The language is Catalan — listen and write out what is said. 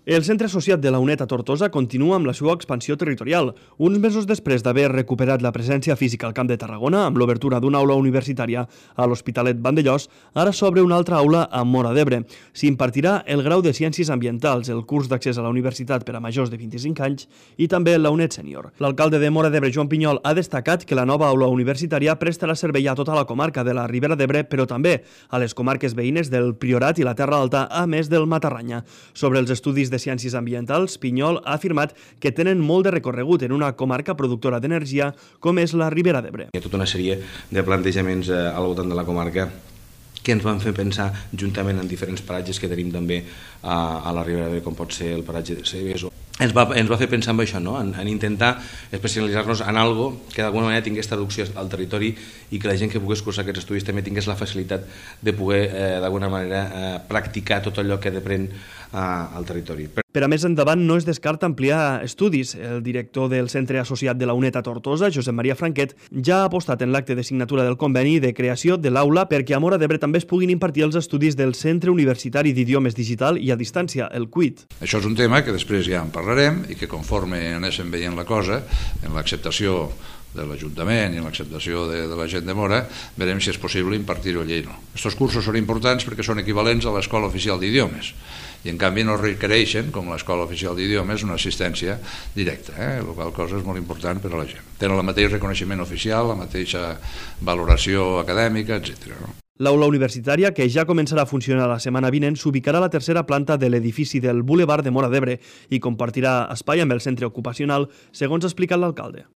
El centre associat de la UNED a Tortosa continua amb la seva expansió territorial. Uns mesos després d'haver recuperat la presència física al Camp de Tarragona, amb l'obertura d'una aula universitària a l'Hospitalet Vandellòs, ara s'obre una altra aula a Móra d'Ebre. S'impartirà el grau de Ciències Ambientals, el curs d'accés a la universitat per a majors de 25 anys i també la UNED Sènior. L'alcalde de Móra d'Ebre, Joan Pinyol, ha destacat que la nova aula universitària prestarà servei a tota la comarca de la Ribera d'Ebre, però també a les comarques veïnes del Priorat i la Terra Alta, a més del Matarranya. Sobre els estudis de Ciències Ambientals, Pinyol ha afirmat que tenen molt de recorregut en una comarca productora d'energia com és la Ribera d'Ebre. Hi ha tota una sèrie de plantejaments al voltant de la comarca que ens van fer pensar juntament en diferents paratges que tenim també a la Ribera d'Ebre, com pot ser el paratge de Cebes. Ens va fer pensar en això, no? en intentar especialitzar-nos en algo que d'alguna manera tingués traducció al territori i que la gent que pogués cursar aquests estudis també tingués la facilitat de poder d'alguna manera practicar tot allò que depèn al territori. Per a més endavant no es descarta ampliar estudis. El director del centre associat de la UNED a Tortosa, Josep Maria Franquet, ja ha apostat en l'acte de signatura del conveni de creació de l'aula perquè a Móra d'Ebre també es puguin impartir els estudis del Centre Universitari d'Idiomes Digital i a Distància, el CUID. Això és un tema que després ja en parlarem i que conforme anéssim veient la cosa, en l'acceptació de l'Ajuntament i en l'acceptació de la gent de Móra, veurem si és possible impartir-ho allí. Aquests cursos són importants perquè són equivalents a l'Escola Oficial d'Idiomes i en canvi no requereixen, com l'Escola Oficial d'Idiomes, una assistència directa, la qual cosa és molt important per a la gent. Tenen el mateix reconeixement oficial, la mateixa valoració acadèmica, etc. L'aula universitària, que ja començarà a funcionar la setmana vinent, s'ubicarà a la tercera planta de l'edifici del Boulevard de Móra d'Ebre i compartirà espai amb el centre ocupacional, segons ha explicat l'alcalde.